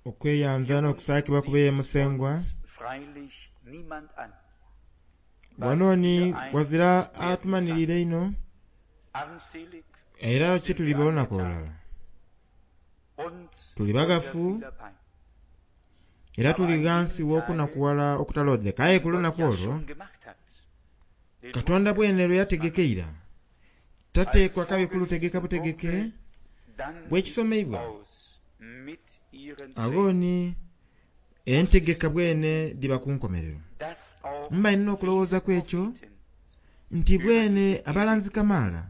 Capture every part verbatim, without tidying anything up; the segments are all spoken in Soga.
Okweyanza n'okusaakibwa kubeye musengwa. Wano ni wazira atumanirire ino era kyetuliba olunaku olulala tuli bagafu era tuli ghansi w'okunakuwala okutalodheka. Aye ku lunaku olwo Katonda bwene lwe yategekeira tateekwa kabi kulutegeka butegeke bwekisomeibwa aghoni entegeka bwene dhiba ku nkomerero. Mba nina okulowoozaku ekyo nti bwene abalanzi kamaala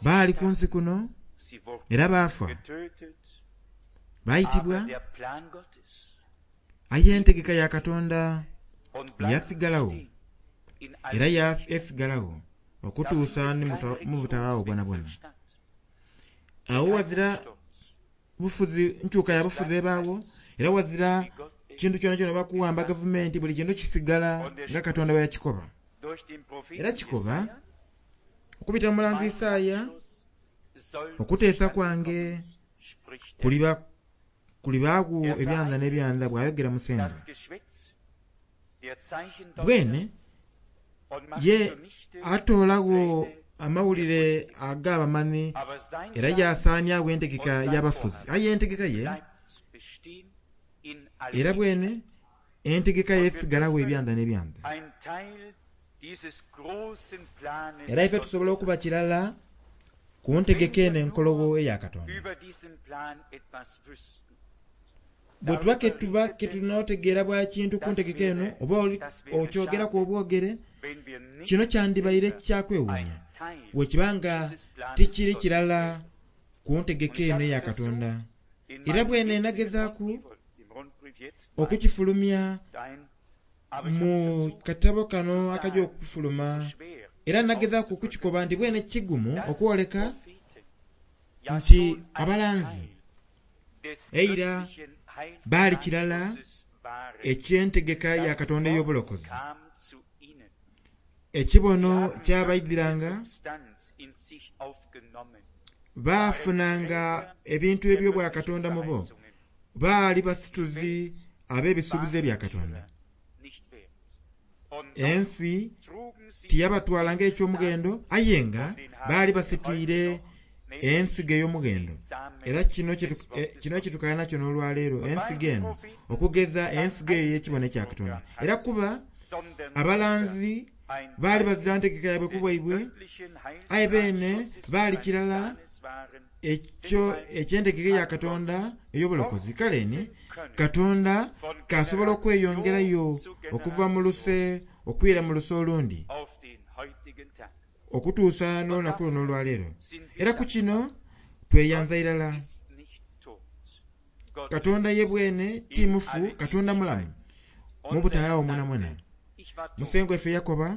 baali ku nsi kuno era baafa baayitibwa, aye entegeka ya Katonda yasigalawo era esigalagho okutuusa mu butawaawo bwonabwona. Awo wazira bufuzi nkyuka ya bufuzi ebaawo era wazira kintu kyonakyona bakuwamba gavumenti buli kintu kisigala nga Katonda bwe yakikoba. Era kikoba okubita mu mulanzi Isaaya okuteesa kwange kuliba kulibaawo ebyanza n'ebyanza bw'ayogera Musengwa. Bwene ye atoolagho amawulire ag'abamanhi era yasaaniagho entegeka y'abafuzi. Aye entegeka ye era bwene entegeka ye esigalagho ebyanza n'ebyanza. Era ife tusobola okuba kirala ku ntegeka eno enkologho eya Katonda. Bwe tuba ketuba ketunootegeera bwa kintu ku ntegeka eno oba okyogeraku obwogere kino kyandibaire kyakwewuunya bwekibanga tikiri kirala ku ntegeka eno eya Katonda. Era bwene nagezaaku okukifulumya mu katabo kano akajja okufuluma era nagezaaku okukikoba nti bwene kigumu okwoleka nti abalanzi eira baali kirala ekyentegeka ya Katonda ey'obulokozi. Ekibono kyabaidhiranga baafunanga ebintu eby'obwa Katonda mu bo, baali basituzi ab'ebisuubizo ebya Katonda. Ensi tiyabatwala ng'ekyomughendo aye nga baali basitwire ensigo ey'omughendo. Era kino kino kyetukala nakyo n'olwaleero ensigo eno okugeza ensigo eyo ey'ekibono ekya Katonda. Era kuba abalanzi baali bazira ntegeka yaibwe ku bwaibwe aye beene baali kirala ekyo ekyentegeka ya Katonda ey'obulokozi. Kale ni Katonda kasobola okweyongerayo okuva mu luse okwira mu luse olundi okutuusa n'olunaku luno olwaleero. Era ku kino tweyanza irala. Katonda ye bwene ti mufu, Katonda mulamu mu butayaawo mwenamwena. Musengwa ife yakoba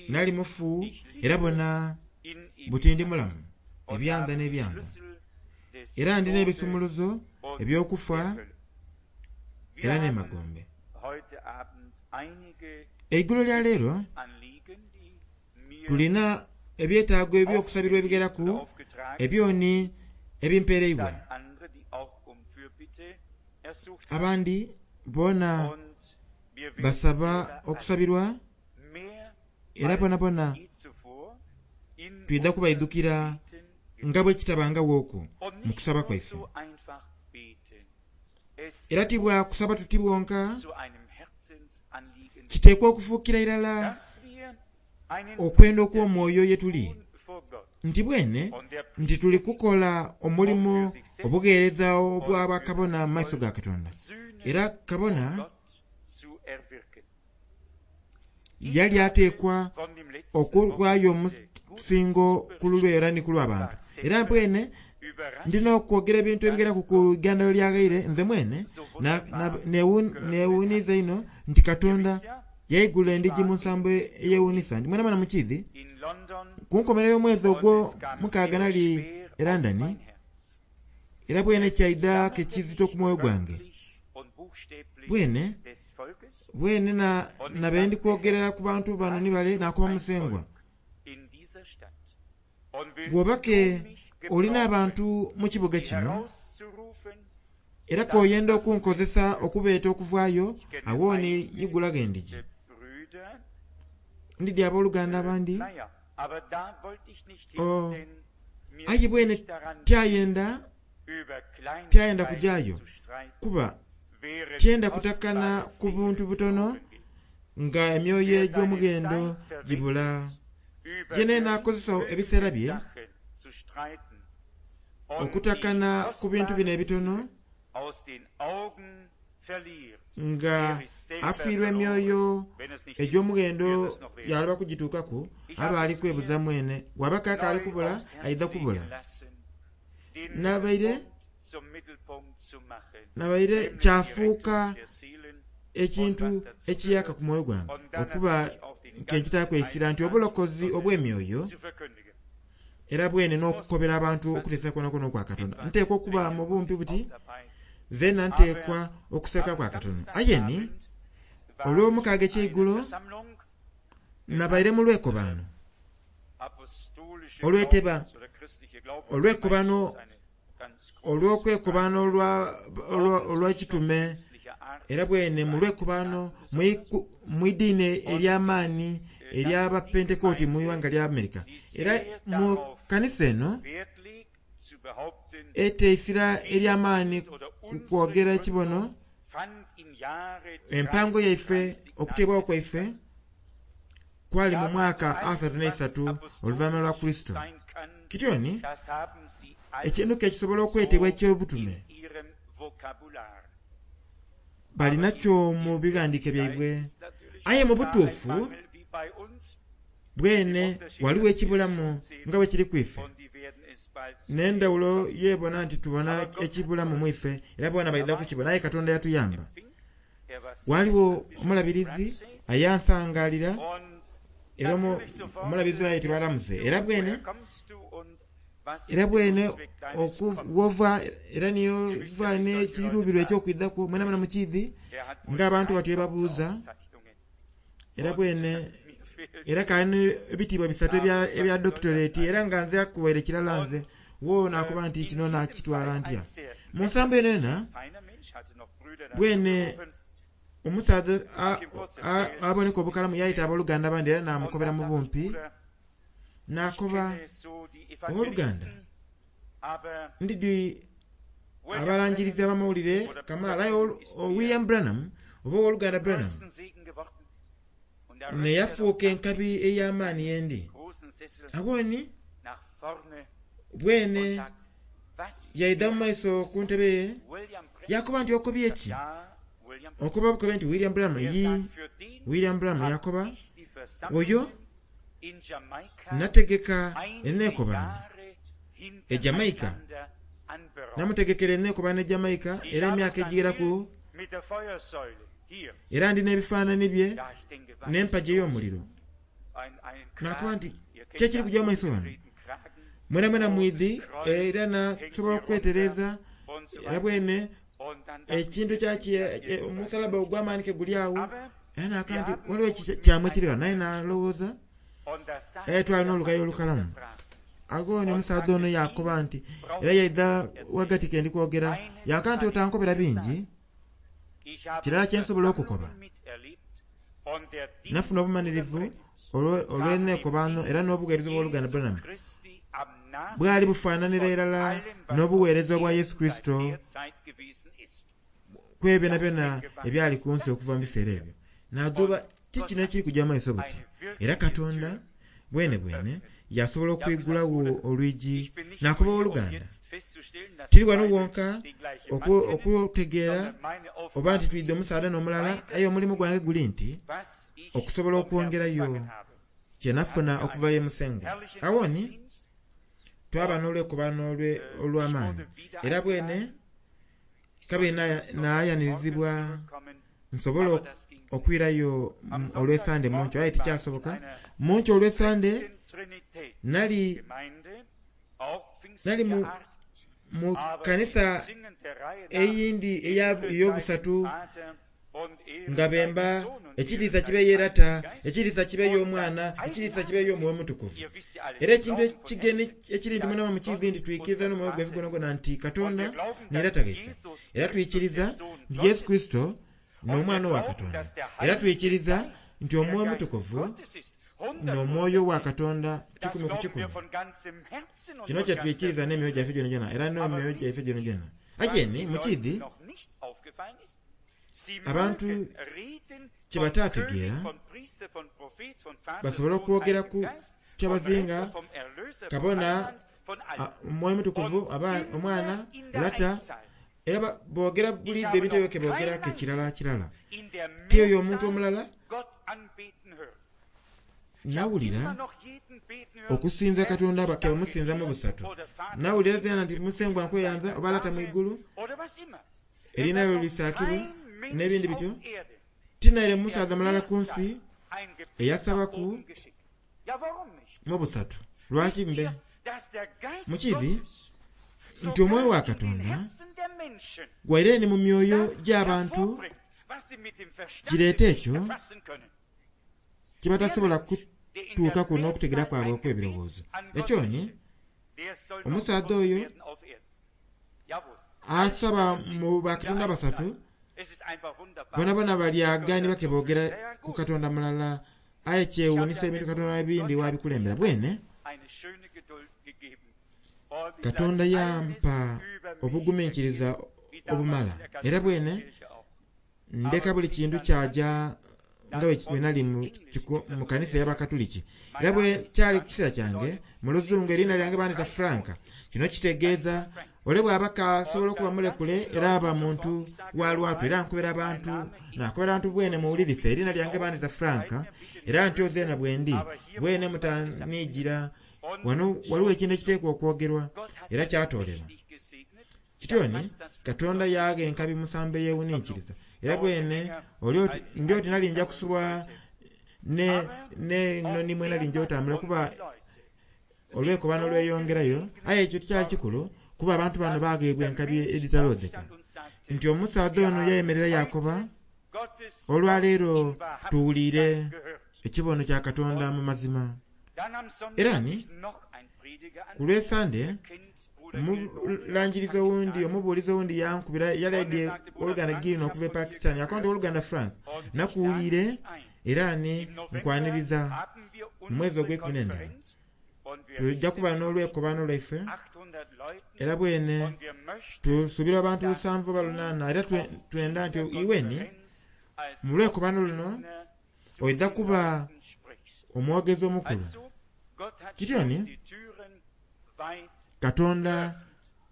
nali mufu era bona buti ndi mulamu ebyanza n'ebyanza. Era ndi n'ebisumuluzo eby'okufa era n'emagombe. Eigulo lya leero tulina ebyetaago eby'okusabirwa ebigeraku ebyoni ebimpereibwa. Abandi boona basaba okusabirwa era bonabona twidha kubaidhukira nga bwe kitabangagho okwo mu kusaba kwaife. Era tibwakusaba tuti bwonka kiteekwa okufuukira irala okwenda okw'omwoyo ye tuli nti bwene nti tuli kukola omulimu obugheereza obwa bakabona mu maiso ga Katonda. Era kabona yali ateekwa okuwaayo omusingo ku lulwe era ni ku lw'abantu. Era bwene ndina okwogera ebintu ebigeraku ku igandalo lyaghaire nze mwene neewuniiza ino nti Katonda yaigula endigi mu nsambo eyewuunisa nti mwenamwena mukiidhi ku nkomerero y'omwezi ogwo mukaaga nali e London era bwene kyaidha kekizito ku mwoyo gwange. Bwene bwene nabe ndi kwogera ku bantu bano ni bale nakuba musengwa. Bw'oba ke olina abantu mu kibuga kino Era koyenda okunkozesa okubeeta okuvaayo, awooni yigulaga endigi. Ndidi abooluganda abandi. Oh, aye bwene tyayenda tyayenda kujayo kuba tyenda kutakana ku buntu butono nga emyoyo egy'omughendo gibula. Yene nakozesa ebiseera bye okutakana ku bintu bino ebitono nga afiirwa emyoyo egy'omughendo yaloba kugituukaku, aba ali kwebuza mwene waba kaka ali kubula aidha kubula. Nabaire nabaire kyafuuka ekintu ekiyaka ku mwoyo gwange okuba nk'ekitaaku eisira nti obulokozi obw'emyoyo era bwene n'okukobera abantu okuteesa kwonakwo okwa Katonda. Nteekwa okuba mu bumpi buti zena nteekwa okuseka kwa Katonda. Aye ni olw'omukaaga ekyeigulo nabaire mu lwekobano olweteba olwekobano olw'okwekobano olw'ekitume era bwene mu lwekobano mu idiini ery'amaani ery'abapentekooti mu iwanga lya Amerika. Era mu kanisa eno eteisira ery'amaani ku kwogera ekibono empango yaife okuteebwawo kwaife kwali mu mwaka asatu n'eisatu oluvannyuma lwa Kristo. Kityoni ekintu ke kisobola okwetebwa ekyobutume balinakyo mu bighandiike byaibwe. Aye mu butuufu bwene waliwo ekibulamu nga bwe kiri kwife n'endawulo yebona nti tubona ekibulamu mwife era bona baidha kukibona. Aye Katonda yatuyamba. Waliwo omulabirizi ayansangalira era omulabirizi ayetebwa Ramuze era bwene era bwene okuwova era niyo va n'ekirubirwa ekyokwidhaku mwena mwena mukiidhi ng'abantu batyo babuuza era bwene era kali ebitiibwa bisatu ebya doctorate era nga nze akuwaire kirala nze wo nakuba nti kino nakitwala ntya. Mu nsambo eno ena bwene omusaadha aboneka obukalamu yayita abooluganda abandi era namukobera mu bumpi nakoba owooluganda ndidi abalangirizi abamawulire kamala aye William Branham oba owooluganda Branham neyafuuka enkabi ey'amaani yendi. Awoni bwene yaidha mu maiso ku ntebe ye yakoba nti okobye ki? Okoba bukobe nti William Branham yi William Branham yakoba oyo nategeka eneekobano e Jamaica namutegekera eneekobano e Jamaica era emyaka egigeraku era ndi n'ebifaananyi bye n'empagi ey'omuliro. Nakuba nti kyekiri kujja mu maiso wano mwena mwena mwidhi era nasobola okwetereza era bwene ekintu kyaki omusalaba ogw'amaani ke guli awo era naka nti waliwo kyamwe kiri wano naye nalowooza aye twalina olugayo olukalamu. Agoni omusaadha ono yakoba nti era yaidha wagati ke ndi kwogera yaka nti otankobera bingi kirala kyensobola okukoba nafuna obumanirivu olw'eneekobano era n'obuweereza obw'oluganda Branham bwali bufaananira irala n'obuweereza obwa Yesu Kristo kwebyo byona ebyali ku nsi okuva mu biseera ebyo. Nagoba ti kino ekiri kujja maiso buti era Katonda bwene bwene yasobola okwigulawo olwigi nakuba owooluganda tiri wano wonka okutegeera oba nti twidde omusaadha n'omulala aye omulimu gwange guli nti okusobola okwongerayo kyenafuna okuva ye Musengwa. Awoni twaba n'olwekobano olw'amaani era bwene kabiri nayanirizibwa nsobola okwirayo olw'esande munkyo aye tikyasoboka. Munkyo olw'esande nali nali mu mu kanisa eyindi ey'obusatu Nga bemba ekitiisa kibe yerata, ekitiisa kibe y'omwana, ekitiisa kibe y'omwoyo mutukuvu. Era ekintu ekigeni ekiri nti mwena mukiidhi nti twikiriza n'omwoyo gwaife gwonagwona nti Katonda ni Lata waife. Era twikiriza nti Yesu Kristo n'omwana wa Katonda. Era twikiriza nti omwoyo mutukuvu n'omwoyo wa Katonda kikumi ku kikumi. Kino kye twikiriza n'emyoyo gyaife gyonagwona era n'emyoyo gyaife gyonagwona. Ageni mukiidhi abantu kye bataategeera basobole okwogera ku kyabazinga kabona omwoyo mutukuvu omwana lata era boogera bulidde ebintu ebyo ke boogera ke kirala kirala. Ti oyo omuntu omulala nawulira okusinza Katonda ke bamusinza mu busatu. Nawulira zena nti musengwa nkweyanza oba lata mu igulu erinayo lisaakibwe n'ebindi bityo. Tinaire musaadha mulala ku nsi eyasabaku mu busatu. Lwaki mbe? Mukiidhi nti omwoyo wa Katonda gwaire ni mu myoyo gy'abantu kireeta ekyo kye batasobola kutuukaku n'okutegeera kwabwe okw'ebirowoozo. Ekyo ni omusaadha oyo asaba mu bakatonda basatu bonabona balyagani bake boogera ku Katonda mulala aye kyewuunisa ebintu Katonda ebindi wabikulembera. Bwene Katonda yampa obugumiikiriza obumala era bwene ndeka buli kintu kyaja nga bwe nali mu kanisa y'Abakatuliki. Era bwe kyali ku kiseera kyange mu luzungu erinnya lyange bandita Franka. Kino kitegeeza ole bw'aba kasobola okuba mulekule era aba muntu wa lwatu era nkobera abantu nakobera abantu bwene muwulirise erinnya lyange bandita Franka era ntyo zeena bwendi bwene mutaniigira wano waliwo ekintu ekiteekwa okwogerwa era kyatoolera. Kityo ni Katonda yagha enkabi musambo eyewuninkiriza era bwene ndi oti nali nja kusubwa ne noni mwe nali nja otambula kuba olwekobano lweyongerayo aye ekyo tikyali kikulu kuba abantu bano bagheebwa enkabi edhitaloodheka. Nti omusaadha ono yayemerera yakoba olwaleero tuwuliire ekibono kya Katonda mu mazima. Era ni ku lw'Esande omulangirizi owundi omubuulizi owundi yankubira yali oluganda Girino okuva e Pakistan yakoba nti oluganda Frank nakuwuliire era ni nkwaniriza mu mwezi ogw'ekumi n'endala tujja kuba n'olwekobano lwaife era bwene tusuubira abantu lusanvu oba lunaana era twenda nti iweni mu lwekobano luno oidha kuba omwogezi omukulu. Kityo ni Katonda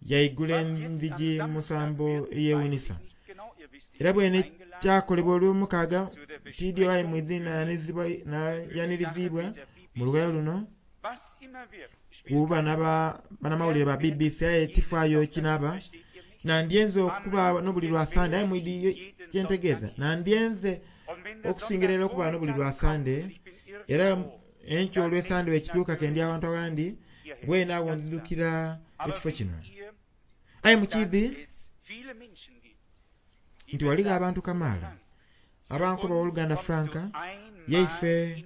yaigula endhigi musambo eyewunisa. Era bwene kyakolebwa olw'omukaaga tiidi aye mwidhi nayanirizibwa mu lugayo luno kuba banamawulire ba B B C aye tifaayo kinaaba nandyenze okuba n'obuli lwa Sande aye mwidhi kyentegeeza nandyenze okusingira era okuba n'obuli lwa Sande era enkyo olw'Esande wekituuka kendi awantu awandi bwene awo ndidukira ekifo kino. Aye mukiidhi nti waligho abantu kamaala abankoba oluganda Franka yaife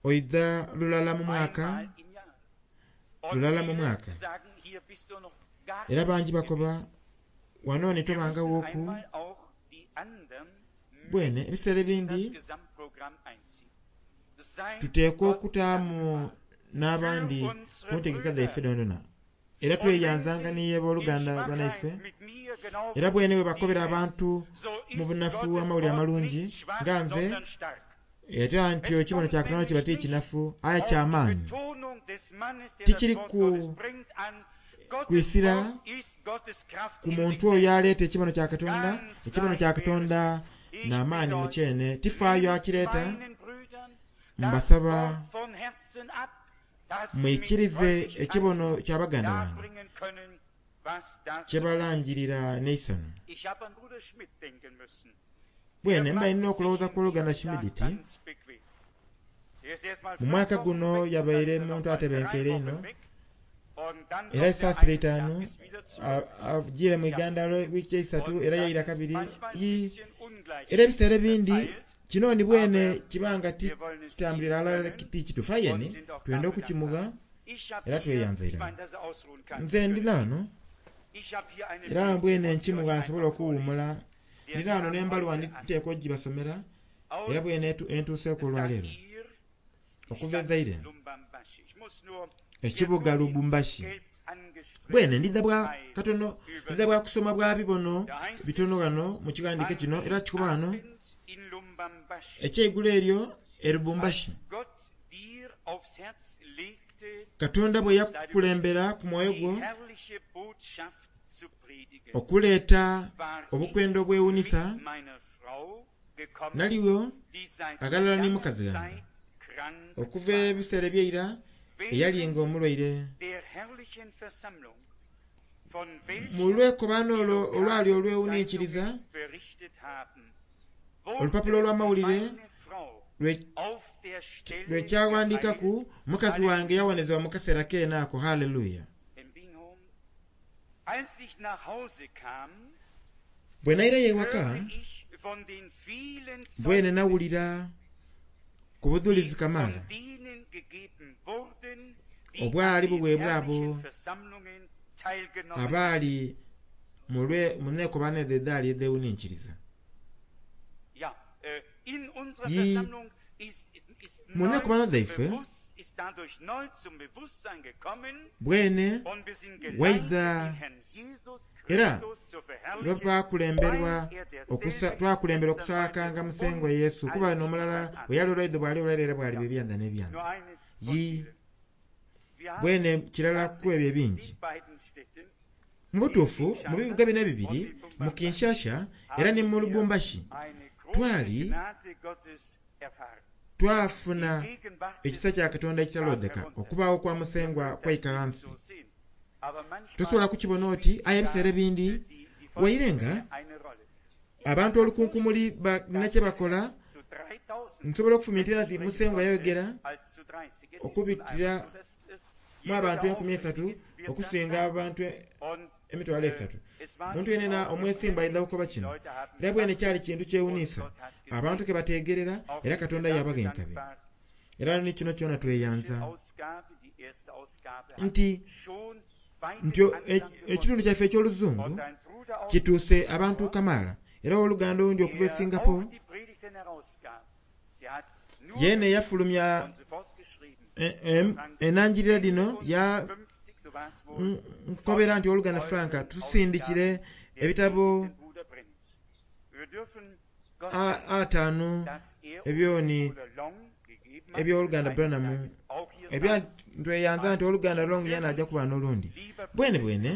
oidha lulala mu mwaka lulala mu mwaka era bangi bakoba wano ni tobangawoku bwene ebiseera ebindi tuteekwa okutaamu n'abandi ku ntegeka dhaife dhonadhona era tweyanzanga niye abooluganda banaife era bwene bwe bakobera abantu mu bunafu amawulire amalungi nga nze era nti ekibono kya Katonda kiba ti kinafu aye ky'amaanyi tikiri ku kwisira ku muntu oyo aleeta ekibono kya Katonda. Ekibono kya Katonda n'amaanyi mu kyene tifaayo akireeta. Mbasaba mwikirize ekibono kya baganda bange kyebalangirira n'eisano. Bwene mba nina okulowooza ku oluganda Schmidti mu mwaka guno yabaire muntu atebenkeire ino era esaasira itaanu agiire mu Iganda wiiki eisatu era yaira kabiri. Era ebiseera ebindi kino ni bwene kibanga kitambulira alala ti kituufu, aye ni twenda okukimugha era tweyanza irala. Nze ndina ghano era mbwene nkimugha nsobola okuwuumula. Ndina ghano n'embaluwa nteekwa ogibasomera era bwene entuuseku olwaleero okuva e Zaire, ekibuga Lubumbashi. Bwene ndidha bwa katono, ndidha bwa kusoma bwa bibono bitono ghano mu kighandiiko kino era kikuba ghano ekyeigulo eryo e Lubumbashi. Katonda bwe yakukulembera ku mwoyo gwo okuleeta obukwenda obwewunisa, naliwo aghalala ni mukazi ghange okuva ebiseera ebyeira eyali nga omulwaire. Mu lwekobaano olwo olwali olwewuninkiriza, olupapula olw'amawulire lwekyaghandiikaku, mukazi wange yawonezebwa mu kaseera keene ako. Haleluya. Bwe nairayo ewaka, bwene nawulira ku budhulizi kamaala obwali buweebwa abo abaali mu nekobaano edho edhaali edhewuninkiriza. Mu nekobaano dhaife bwene waidha era twakulemberwa twakulemberwa okusaakanga Musengwa Yesu, kuba n'omulala bwe yali olwaidho bwali olwaire era bwali ebyanda n'ebyanda. Yi bwene kirala ku ebyo ebingi. Mu butuufu mu bibuga bino ebibiri, mu Kinshasa era ni mu Lubumbashi, twali twafuna ekisa kya Katonda ekitalodheka, okubaawo kwa Musengwa kwaika ghansi. Tosobola kukibona oti, aye ebiseera ebindi waire nga abantu olukunkumuli balina kye bakola, nsobola okufumintira nti Musengwa yayogera okubitira mu abantu enkumi esatu okusinga abantu emitwalo esatu. Muntu yenena omwesimbu aidha kukoba kino. Era bwene kyali kintu kyewuniisa, abantu ke bateegerera era Katonda yabagha enkabi. Era ni kino kyona tweyanza nti nti ekitundu kyaife eky'oluzungu kituuse abantu kamaala. Era ow'oluganda owundi okuva e Singapore yeene yafulumya enanjirira dhino ya nkobera nti oluganda Frank tusindikire ebitabo ataano ebyoni eby'oluganda Branham. Ebya ntweyanza nti oluganda Long yena ajja kuba n'olundi. Bwene bwene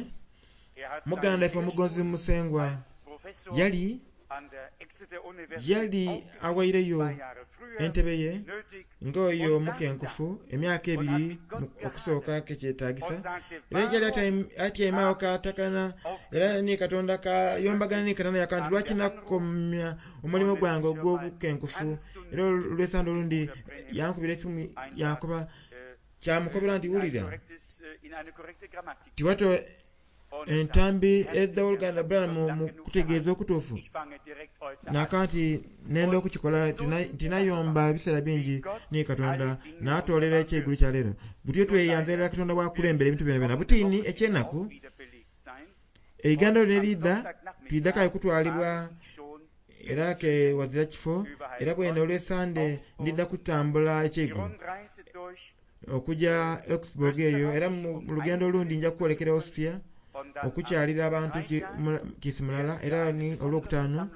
muganda ife omugonzi Musengwa yali yali awaireyo entebe ye ng'oyo omukenkufu emyaka ebiri okusooka kekyetagisa, era yali atyaime agho katakana era ni Katonda kayombagana ni Katonda yaka nti lwaki nakomya omulimu gwange ogw'obukenkufu. Era olwesande olundi yankubira esimu yankoba kyamukobera nti wulira tiwato entambi edh'oluganda Branham mu kutegeeza okutuufu naka nti nenda okukikola tinayomba ebiseera bingi ni Katonda n'atoolera ekyeigulu kya leero. Butyo tweyanza Katonda bwakulembera ebintu byona byona. Butini ekyenaku eiganda lino eriidha twidha kaye kutwalibwa era ke wazira kifo, era bwene olwesande ndidha kutambula ekyeigulu okuja Augsburg eyo, era mu lugendo olundi nja kwolekera Austria okukyalira abantu kiisi mulala. Era ni olwokutaano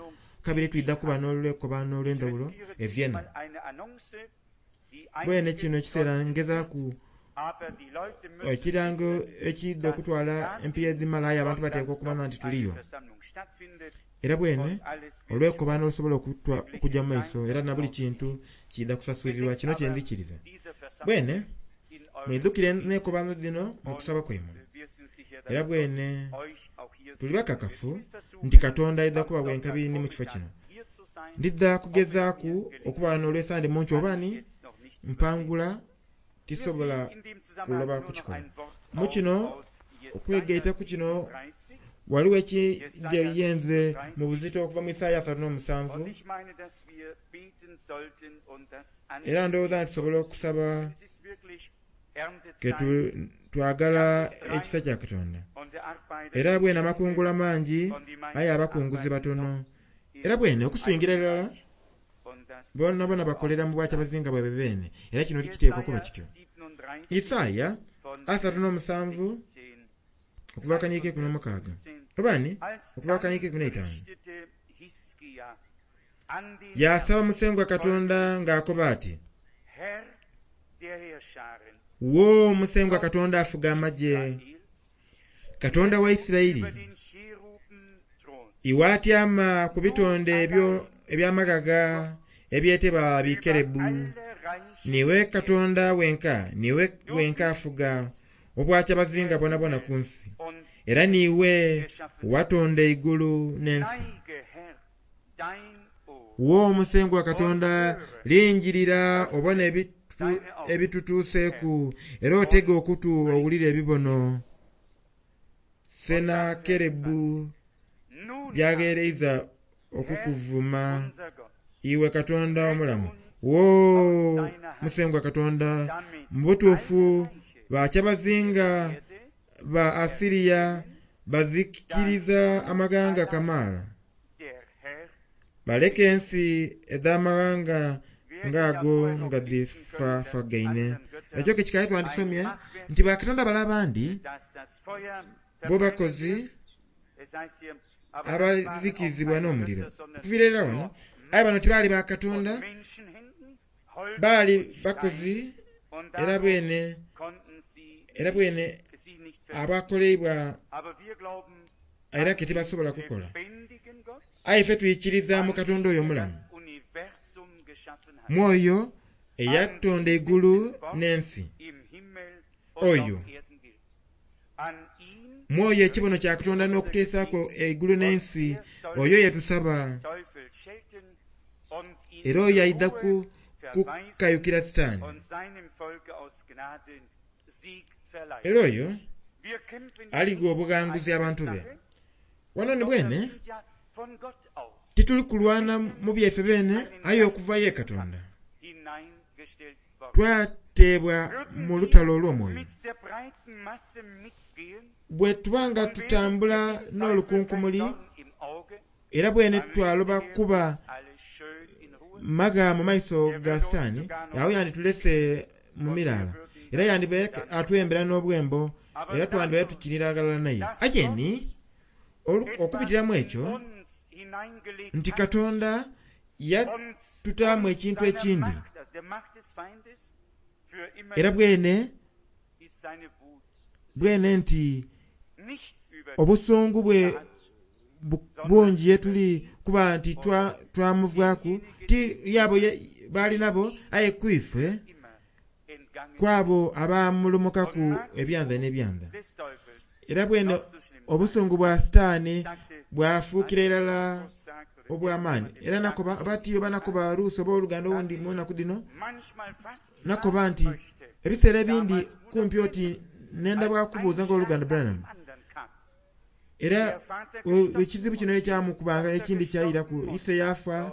kabiri twidha kuba n'olwekobaano olw'endhawulo e Vienna. Bwene kino ekiseera ngezaaku ekirango ekidha okutwala empiiya edhimala, aye abantu bateekwa okumanya nti tuliyo. Era bwene olwekobaano olusobola okujja mu maiso, era na buli kintu kidha kusasulirwa. Kino kyendhikiriza. Bwene mwidhukire n'ekobaano dhino mu kusaba kwaimwe. Era bwene tuli bakakafu nti Katonda aidha kubawa enkabi ni mu kifo kino. Ndidha kugezaaku okuba wano olwesande munki oba ni mpangula tisobola kuloba kukikola. Mu kino okwegaita ku kino Waliwo ekiyenze mu buzito okuva mu Isaaya asatu n'omusanvu. Era ndowooza nti tusobola okusaba ke twagala ekisa kya Katonda. Era bwene amakungula mangi aye abakunguzi batono. Era bwene okusingira irala bona bona bakolera mu bwakyabazinga bwaibwe beene. Era kino tikiteekwa kuba kityo. Isaaya asatu n'omusanvu okuva kaniike ikumi n'omukaaga obaani okuva kaniike ikumi n'eitaano. Yasaba Musengwa Katonda ng'akoba ati, wo Musengwa Katonda afuga amagye, Katonda wa Isirayiri, iwe atyama ku bitonde ebyo ebyamagaga ebyetebwa bikerebu, niwe Katonda wenka, niwe wenka afuga obwakyabazinga bonabona ku nsi, era niwe watonda eigulu n'ensi. Wo Musengwa Katonda, lingirira obone ebitutuuseeku, era otege okutu owulire ebibono Sennakerebu byagheereiza okukuvuma iwe Katonda omulamu. Wo Musengwa Katonda, mu butuufu bakyabazinga ba Asiria bazikiriza amaghanga kamaala, baleka ensi edh'amaghanga ng'ago nga dhifafagaine. Ekyo ke kikali twandisomye nti bakatonda bale abandi bo bakozi abazikirizibwa n'omuliro. Okuviira irala wano, aye bano tibaali bakatonda, baali bakozi era bwene era bwene abakoleibwa era ke tibasobola kukola. Aye ffe twikiriza mu Katonda oyo omulamu, mwoyo eyatonda eigulu n'ensi, oyo mwoyo ekibono kya Katonda n'okuteesaku eigulu n'ensi, oyo yetusaba. Era oyo aidha kukayukira Sitaani. Era oyo aligha obughanguzi abantu be. Wano ni bwene tituli kulwana mu byaife beene, aye okuva ye Katonda twateebwa mu lutalo olw'omwoyo. Bwe tubanga tutambula n'olukunkumuli, era bwene twaloba kuba maga mu maiso ga Sitaani, awo yanditulese mu miraala, era yandibaire atwembera n'obwembo, era twandibaire tukinira aghalala naye. Aye ni okubitiramu ekyo nti Katonda yatutaamu ekintu ekindi, era bwene bwene nti obusungu bwe bungi yetuli kuba nti twamuvaaku ti yabo baali nabo, aye kwife kwabo abamulumukaku ebyanza n'ebyanza. Era bwene obusungu bwa Sitaani bwafuukira irala obw'amaani. Era nakoba bati oba nakoba Ruusi oba oluganda owundi mu nnaku dhino, nakoba nti ebiseera ebindi kumpi oti nenda bwakubuuza ng'oluganda Branham. Era ekizibu kino ekyamukubanga ekindi kyayiraku, ise yafa,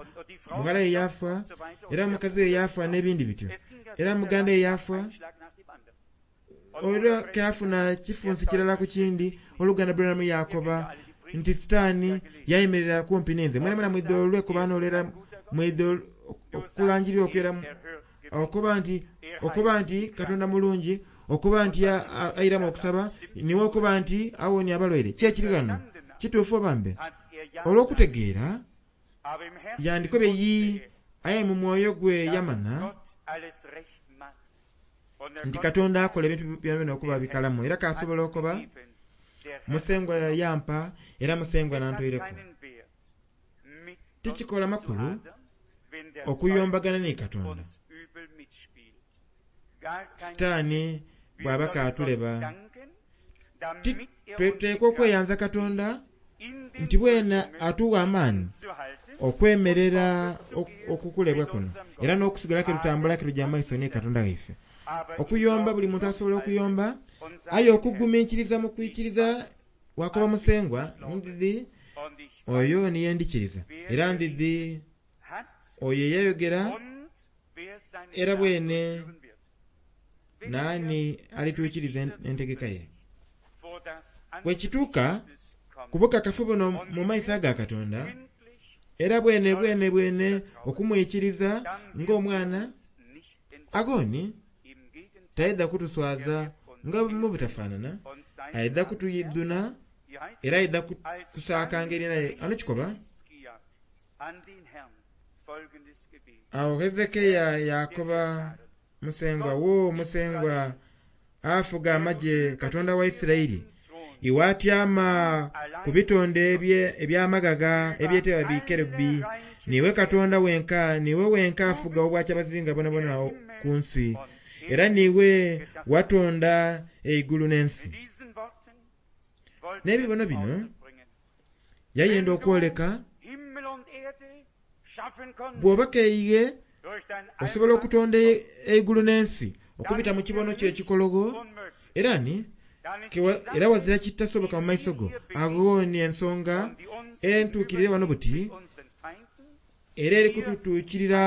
mughala ye yafa, era mukazi we yafa n'ebindi bityo, era muganda ye yafa. Olwo kyafuna kifunsi kirala ku kindi. Oluganda Branham yakoba nti Sitaani yayimirira kumpi ninze. Mwena mwena mwidha olwekuba olera mwidha okulangirira okwera okuba nti okuba nti Katonda mulungi, okuba nti airamu okusaba, niwe okuba nti awonia abalwaire. Ki ekiri ghano kituufu obambe? Olw'okutegeera yandikobye yi, aye mu mwoyo gwe yamanya nti Katonda akola ebintu byona okuba bikalamu. Era kasobola okuba Musengwa yampa era Musengwa nantoireku. Tikikola makulu okuyombagana ni Katonda. Sitaani bw'aba kaatuleba, tweteekwa okweyanza Katonda nti bwena atuwa amaani okwemerera okukulebwa kuno, era n'okusigala ke tutambula ke tujja maiso ni Katonda waife. Okuyomba buli muntu asobola okuyomba, aye okugumiikiriza mu kwikiriza Wakoba Musengwa ndidhi oyo niye ndikiriza, era ndidhi oyo eyayogera era bwene naani alituukiriza entegeka ye. Bwekituuka ku bukakafu buno mu maiso aga Katonda, era bwene bwene bwene okumwikiriza ng'omwana, agoni taidha kutuswaza nga mu butafaanana, aidha kutuyiduna era aidha kusaakanga erina lye. Ano kikoba awo Hezekiya yakoba Musengwa, wo Musengwa afuga amagye Katonda wa Isiraeli, iwe atyama ku bitonde eby'amaghagha ebyetebwa bikerubi, niwe Katonda wenka, niwe wenka afuga obwakyabazinga bwonabwona ku nsi, era niwe watonda eigulu n'ensi. N'ebibono bino yayenda okwoleka bw'oba keighe osobola okutonda eigulu n'ensi okubita mu kibono kyo ekikologho, era ni era wazira kitasoboka mu maiso go. Agho ni ensonga entuukirire wano buti era eri kututuukirira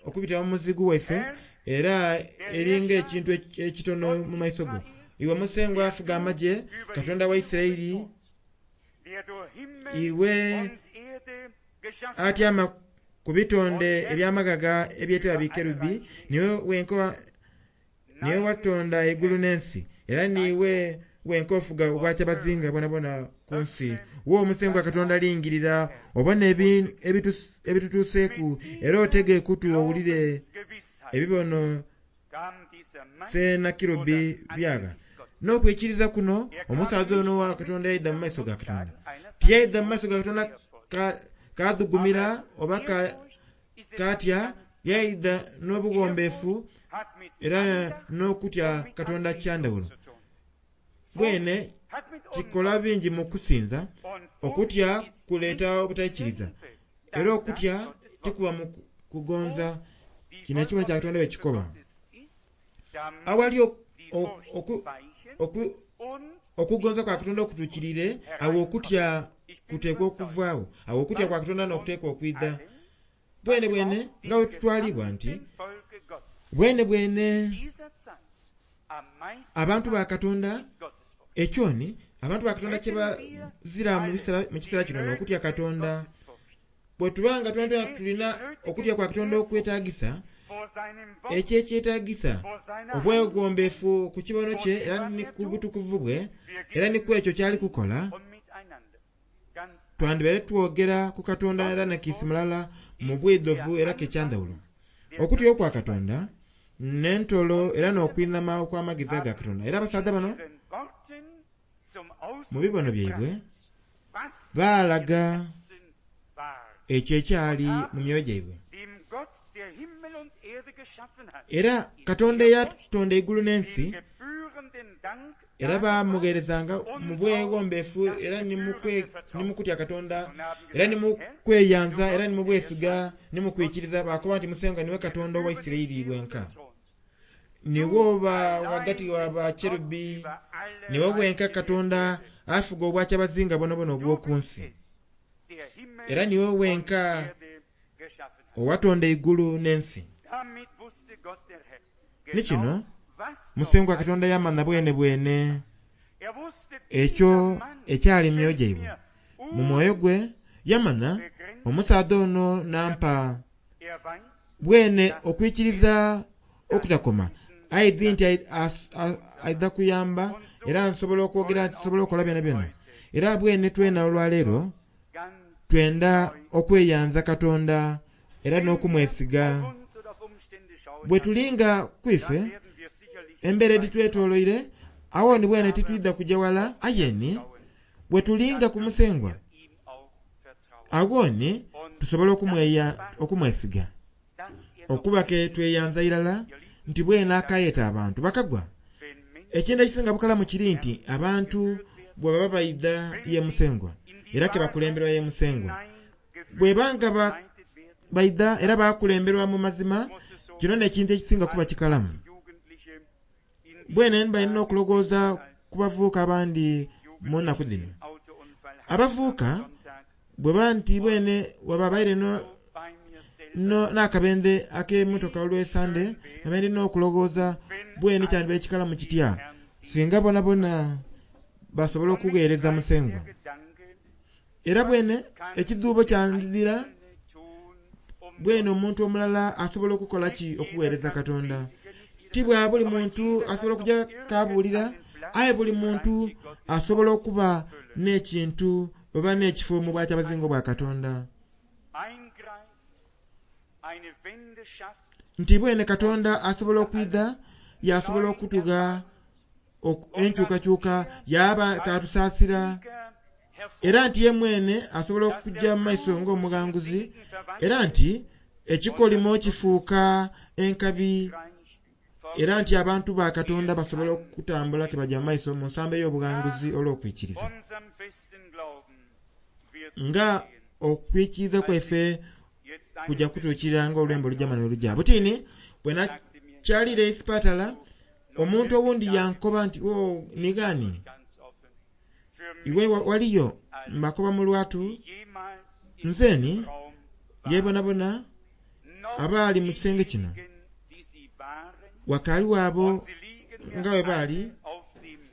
okubita mu muzigu waife, era eringa ekintu ekitono mu maiso go. Iwe Musengwa afuga amagye Katonda wa Isiraeli, iwe atyama ku bitonde eby'amaghagha ebyetebwa bikerubi, niwe wenka niwe watonda eigulu n'ensi, era niwe wenka ofuga obwakyabazinga bwonabwona ku nsi. Wo Musengwa Katonda lingirira obone ebitutuuseeku, era otege ekutu owulire ebibono Sennakerubi byagha. N'okwikiriza kuno omusaadha ono wa Katonda yaidha mu maiso ga Katonda. Tiyaidha mu maiso ga Katonda kadhugumira oba katya, yaidha n'obughombefu era n'okutya Katonda kyandhawulo. Bwene kikola bingi mu kusinza, okutya kuleeta obutaikiriza, era okutya tikuba mu kugonza. Kino ekibono kya Katonda bwe kikoba. Awali okugonza kwa Katonda okutuukirire, awo okutya kuteekwa okuvaagho, awo okutya kwa Katonda n'okuteekwa okwidha. Bwene bwene nga bwe tutwalibwa nti bwene bwene abantu ba Katonda ekyoni abantu ba Katonda kye bazira mu kiseera kino n'okutya Katonda. Bwe tubanga twena tulina okutya kwa Katonda okwetagisa, ekyo ekyetagisa obwegombefu ku kibono kye era ni ku butukuvu bwe era ni ku ekyo kyali kukola, twandibaire twogera ku Katonda era nakiisi mulala mu bwidhovu era kekyandhawulo. Okutya okwa Katonda n'entolo era n'okwinhama okw'amagezi aga Katonda. Era abasaadha bano mu bibono byaibwe baalaga ekyo ekyali mu myoyo gyaibwe. Era Katonda eyatonda eigulu n'ensi era bamugheerezanga mu bweghombefu era ni mu kutya Katonda era ni mu kweyanza era ni mu bwesiga ni mu kwikiriza, bakoba nti Musengwa niwe Katonda owa Isiraeli wenka, niwe oba ghagati wa bakerubi, niwe wenka Katonda afuga obwakyabazinga bwonabwona obw'oku nsi, era niwe wenka owatonda eigulu n'ensi. Ni kino Musengwa Katonda yamanha bwene bwene ekyo ekyali mu myoyo gyaibwe. Mu mwoyo gwe yamanha omusaadha ono nampa bwene okwikiriza okutakoma, aidhi nti aidha kuyamba era nsobola okwogera nti nsobola okukola byona byona. Era bwene twena olwaleero twenda okweyanza Katonda era n'okumwesiga. Bwe tulinga kwife embeera editwetoloire, awo ni bwene titwidha kuja wala, aye ni bwe tulinga ku Musengwa awo ni tusobola okumwesiga okuba ke tweyanza irala nti bwene akayeta abantu bakagwa. Ekintu ekisinga bukalamu kiri nti abantu bwe baba baidha ye Musengwa era ke bakulemberwa ye Musengwa, bwebanga baidha era bakulemberwa mu mazima, kino n'ekintu ekisinga kuba kikalamu. Bwene mba nina okulowooza ku bavubuka abandi mu nnaku dhino. Abavuuka bweba nti bwene wababaire no no n'akabende ak'emmotoka olw'esande nabaire n'okulowooza bwene kyandibaire kikalamu kitya singa bonabona basobola okugheereza Musengwa. Era bwene ekidhuubo kyandidhira bwene omuntu omulala asobola okukola ki okuweereza Katonda. Ti bwa buli muntu asobola okujja kabuulira, aye buli muntu asobola okuba n'ekintu oba n'ekifo mu bwakyabazinga bwa Katonda. Nti bwene Katonda asobola okwidha, yasobola okutugha enkyukakyuka, yaba katusaasira, era nti ye mwene asobola okujja mu maiso ng'omughanguzi, era nti ekikolimo kifuuka enkabi, era nti abantu ba Katonda basobola okutambula ke bajja mu maiso mu nsambo ey'obughanguzi olw'okwikiriza. Nga okwikiriza kwaife kujja kutuukirira ng'olwembo olujja mane olujja. Butini bwe nakyalira esipatala, omuntu owundi yankoba nti o nigani iwe waliyo mbakoba mu lwatu nzeni yebonabona abaali mu kisenge kino wakaali abo nga bwe baali,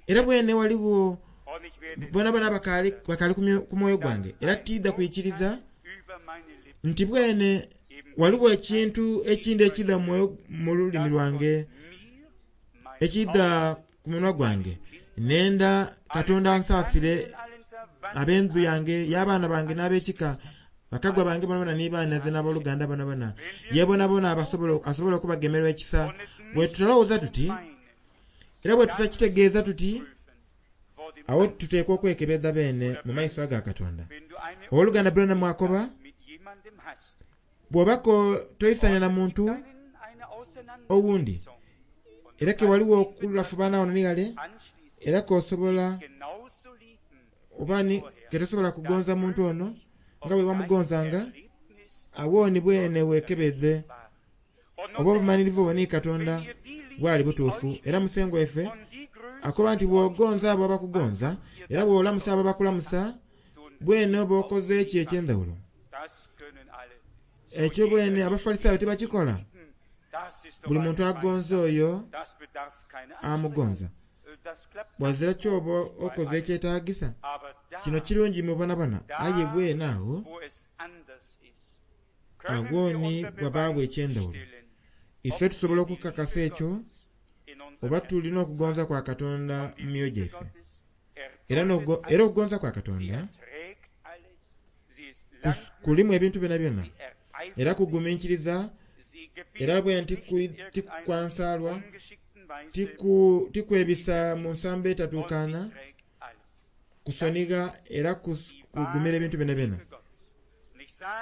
era bwene waliwo bonabona bakaali bakaali ku mwoyo gwange, era tidha kwikiriza nti bwene waliwo ekintu ekindi ekidha mu lulimi lwange, ekidha ku munwa gwange. Nenda Katonda ansaasire ab'endhu yange, y'abaana bange n'ab'ekika, bakagwa bange bonabona ni baanaze n'aboluganda bonabona, ye bonabona asobola okubagemerwa ekisa. Bwe tutalowooza tuti, era bwe tutakitegeeza tuti, awo tuteekwa okwekebeza beene mu maiso aga Katonda. Owooluganda Branham akoba, bw'obako toisanya na muntu owundi, era ke waliwo okulafubana wano ni ghale, era k'osobola oba ni ketosobola kugonza muntu ono nga bwe wamugonzanga, awo ni bwene weekebeze oba obumalirivu obwo ni Katonda bwali butuufu. Era Musengwa waife akoba nti bw'ogonza abo abakugonza, era bw'olamusa abo abakulamusa, bwene oba okoze eki eky'endhawulo. Ekyo bwene Abafalisaayo tibakikola. Buli muntu agonza oyo amugonza. Wazira kyoba okoze ekyetaagisa. Kino kirungi mu bonabona, aye bwene awo agwo ni wabaabwo eky'endhawulo. Ife tusobola okukakasa ekyo oba tulina okugonza kwa Katonda mu myoyo gyaife. Era era okugonza kwa Katonda kulimu ebintu byona byona, era kugumiikiriza, era bwe tikwansaalwa, tikwebisa mu nsambo etatuukaana, kusonigha era kugumira ebintu byona byona.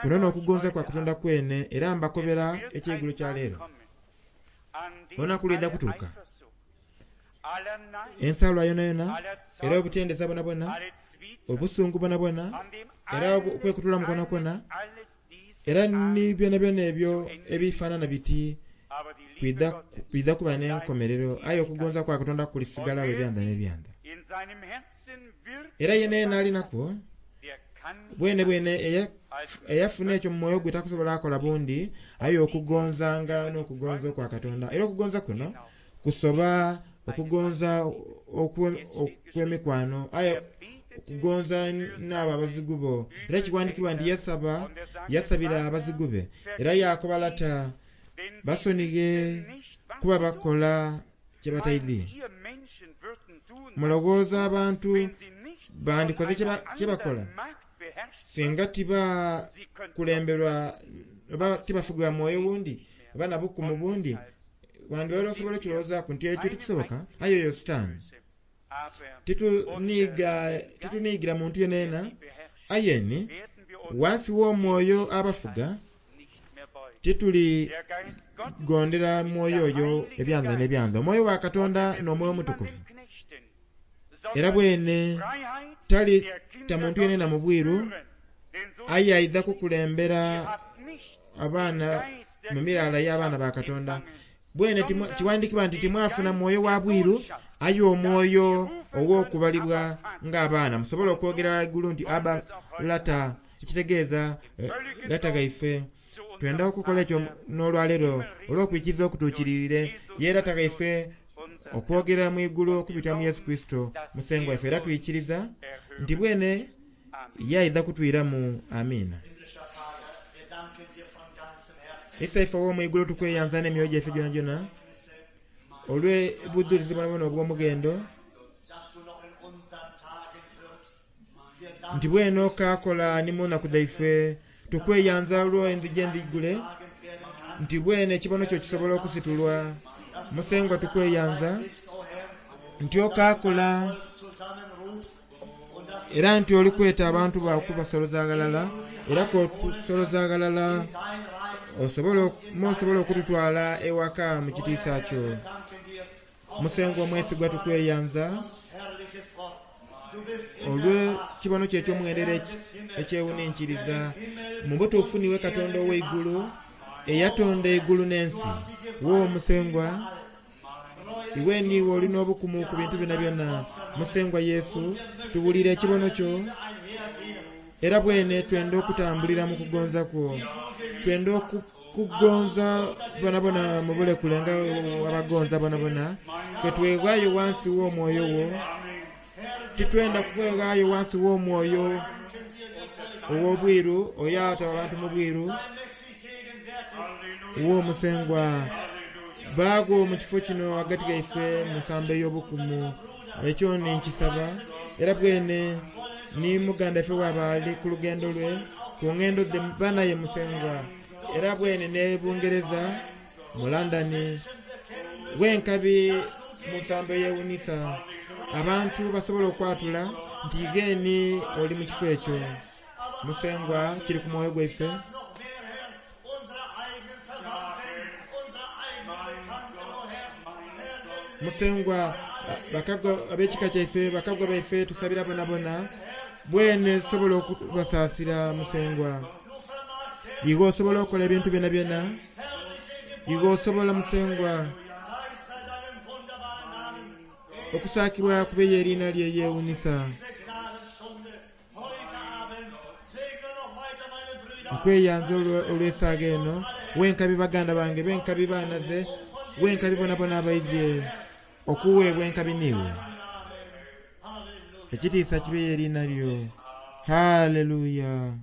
Kuno n'okugonza kwa Katonda kwene, era mbakobera ekyeigulo kya leero. Olunaku lwidha kutuuka, ensaalwa yonayona, era obutendeza bonabona, obusungu bonabona, era okwekutulamu kwonakwo, era ni byona byona ebyo ebifaanana biti kwidha kuba n'enkomerero, aye okugonza kwa Katonda kulisigalawo ebyanda n'ebyanda. Era yena yena alinakwo bwene bwene eyafuna ekyo mu mwoyo gwe takusobola akola bundi, aye okugonzanga n'okugonza okwa Katonda. Era okugonza kuno kusoba okugonza okw'emikwano, aye okugonza n'abo abazigu bo. Era kiwandikibwa nti yasaba yasabira abazigu be, era yakoba lata basonighe kuba bakola kye bataidhi. Mulowooza abantu bandikoze kye bakola singa tibakulemberwa oba tibafugibwa mwoyo wundi oba na bukumu bundi? Wandibaire osobola okirowoozaku nti ekyo tikisoboka, aye oyo Sitaani. Tituniigira muntu yenayena, aye ni wansi w'omwoyo abafuga tituli gondera mwoyo oyo ebyanda n'ebyanda. Omwoyo wa Katonda n'omwoyo omutukuvu. Era bwene tali ta muntu yenayena mu bwiru, aye aidha kukulembera abaana mu miraala y'abaana ba Katonda. Bwene kiwandikibwa nti timwafuna mwoyo wa bwiru, Aye omwoyo ow'okubalibwa ng'abaana musobola okwogera waigulu nti aba lata, ekitegeeza lata gaife. Twenda okukola ekyo n'olwaleero olw'okwikiriza okutuukirire ye lata gaife okwogera mu igulu okubita mu Yesu Kristo musengwa waife. Era twikiriza nti bwene yaidha kutwiramu. Amiina. Isaife ow'omu igulu tukweyanza n'emyoyo gyaife gyona gyona olw'obudhulizi bwonabwona obw'omughendo nti bwene okakola ni mu nnaku dhaife. Tukweyanza olw'endhigi endhigule nti bwene ekibono kyo kisobola okusitulwa. Musengwa tukweyanza nti okakola era nti oli kweta abantu bakubasoloza ghalala, era k'otusoloza ghalala osobola okututwala ewaka mu kitiisa kyo. Musengwa omwesigwa tukweyanza olw'ekibono kyo eky'omughendo ekyewuninkiriza. Mu butuufu niwe Katonda ow'eigulu eyatonda eigulu n'ensi. Wo Musengwa, iwe niiwe olina obukumu ku bintu byona byona. Musengwa Yesu, tuwulire ekibono kyo era bwene twenda okutambulira mu kugonza kwo. Twenda okugonza bonabona mu bulekule nga abagonza bonabona, ketweghaayo wansi w'omwoyo wo. Titwenda kweghaayo wansi w'omwoyo ow'obwiru oyo ata abantu mu bwiru. Wo Musengwa, baagwo mu kifo kino ghagati gaife mu nsambo ey'obukumu. Ekyo ninkisaba era bwene ni muganda ife bw'aba ali ku lugendo lwe ku ngendo dhe banaye Musengwa, era bwene ne Bungereza mu London wenkabi mu nsambo eyewunisa abantu basobola okwatula nti geni oli mu kifo ekyo. Musengwa kiri ku mwoyo gwaife. Musengwa bakagwa ab'ekika kyaife, bakagwa baife tusabira bonabona bwene sobola okubasaasira. Musengwa iwe osobola okukola ebintu byona byona, iwe osobola Musengwa okusaakibwa kubeyo eriina lye yewunisa. Nkweyanza olw'esaaga eno wenkabi baganda bange, benkabi baanaze, wenkabi bonabona abaidhye okuweebwa enkabi niiwe. Ekitiisa kibeyo eriina lyo. Haleluya.